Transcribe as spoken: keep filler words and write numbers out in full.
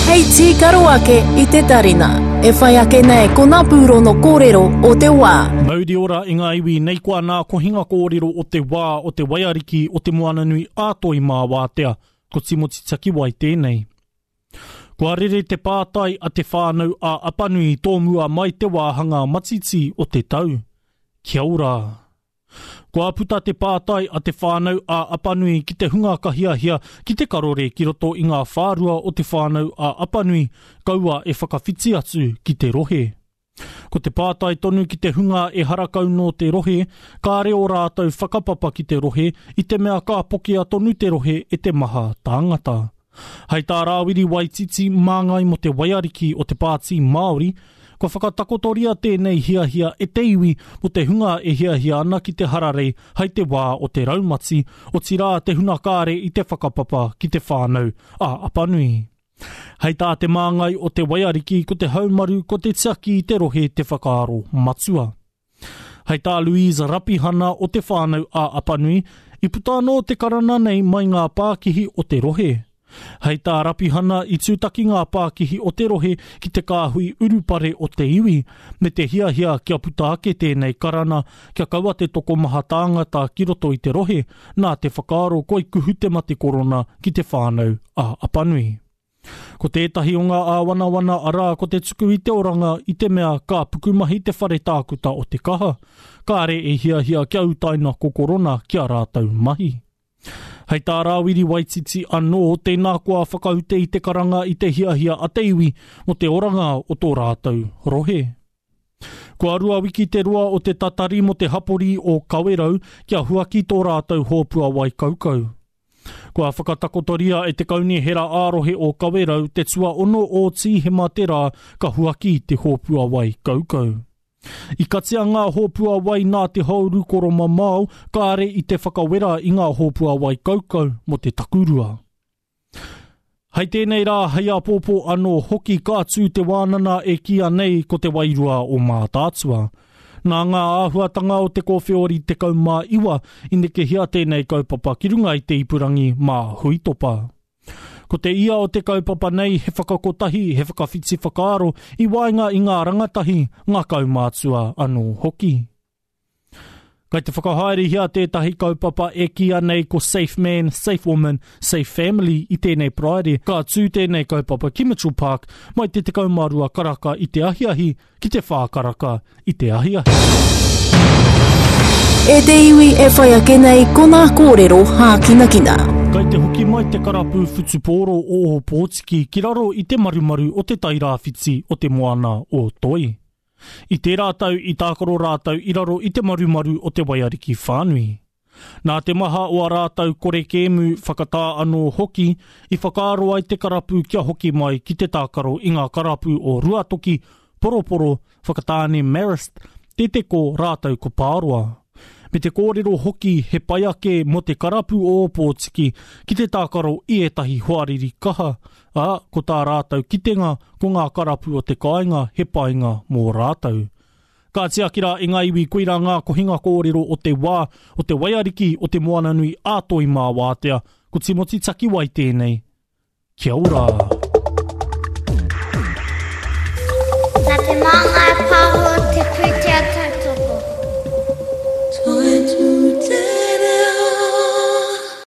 Hei tīkaro ake i te tarina. E whai ake nei ko ngā pūrono kōrero o te wā. Mauri ora i ngā iwi nei koa nā kohinga kōrero o te wā o te waiariki o te Moananui a Toi mā Wātea, ko Timoti Takiwai tēnei. Kua rere te pātai a te whānau a Apanui tō mua mai te wāhanga matiti o te tau. Kia ora! Kua puta te pātai a te whānau a Apanui ki te hunga ka hiahia ki te karore ki roto i ngā whārua o te whānau a Apanui, kaua e whakawhiti atu ki te rohe. Ko te pātai tonu ki te hunga e harakau nō te rohe, kāre o rātou whakapapa ki te rohe i te mea ka pokea tonu te rohe e te maha tāngata. Hei tā Rāwiri Waititi māngai mō te waiariki o te Pāti Māori, kua whakatakotoria tēnei hiahia e te iwi mō te hunga e hiahia ana ki te hararei hai te wā o te raumati, otirā te huna kāre i te whakapapa ki te whānau a Apanui. Hei tā te māngai o te waiariki ko te haumaru ko te tiaki i te rohe te whakaaro matua. Hei tā Louise Rapihana o te whānau a Apanui, i puta anō te karana nei mai ngā pākihi o te rohe. Hei tā Rapihana i tūtaki ngā pākihi o te rohe ki te kāhui urupare o te iwi, me te hiahia kia puta ake tēnei karana, kia kaua te tokomaha tāngata ki roto i te rohe, nā te whakaaro koi kuhu te mate korona ki te whānau a Apanui. Ko tētahi o ngā āwanawana arā ko te tuku i te oranga i te mea ka pukumahi te whare tākuta o te kaha, kāre e hiahia kia utaina ko korona ki a rātou mahi. Hei tā Rāwiri Waititi anō, tēnā koa whakaute i te karanga i te hiahia a te iwi mō te oranga o tō rātou rohe. Kua rua wiki te roa o te tatari mō te hapori o Kawerau kia huaki tō rātou hōpua wai kaukau. Kua whakatakotoria e te kaunihera ā-rohe o Kawerau te tuaono o Tīhema te rā ka huaki te hōpua wai kaukau. I katia ngā hōpua wai nā te hauru koromamao kāre i te whakawera i ngā hōpua wai kaukau mō te takurua. Hei tēnei rā, hei āpōpō anō hoki ka tū te wānana e kīia nei ko te wairua o Mātaatua. Nā ngā āhuatanga o te kōwheori tekau mā iwa i nekehia tēnei kaupapa ki runga i te ipurangi mā Huitopa. Ko te ia o te kaupapa nei he whakakotahi, he whakawhiti whakaaro i waenga i ngā rangatahi, ngā kaumātua anō hoki. Kai te whakahaerehia tētahi kaupapa e kīia nei ko Safe Man, Safe Woman, Safe Family i tēnei Paraire. Ka tū tēnei kaupapa ki Mitchell Park mai te tekau mā rua karaka i te ahiahi ki te whā karaka i te ahiahi. E te iwi e whai ake nei ko ngā kōrero hākinakina. Kai te hoki mai te karapu whutupōro o Ōpōtiki ki raro i te marumaru o te tairāwhiti o te moana o Toi. I tērā tau i tākaro rātou i raro i te marumaru o te waiariki whānui. Nā te maha o a rātou kore kēmu whakatā anō hoki, i whakaaro ai te karapu kia hoki mai ki te tākaro i ngā karapu o Ruatoki, Poroporo, Whakatāne Marist, Te Teko rātou ko Pāroa. Me te kōrero hoki he pai ake mō te karapu o Ōpōtiki ki te tākaro i ētahi hoariri kaha, ā, ko tā rātou kitenga ko ngā karapu o te kāinga he painga mō rātou. Ka tiaki rā i ngā iwi koirā ngā kohinga kōrero o te wā, o te waiariki o te Moananui a Toi mā Wātea, ko Timoti Takiwai tēnei. Kia ora!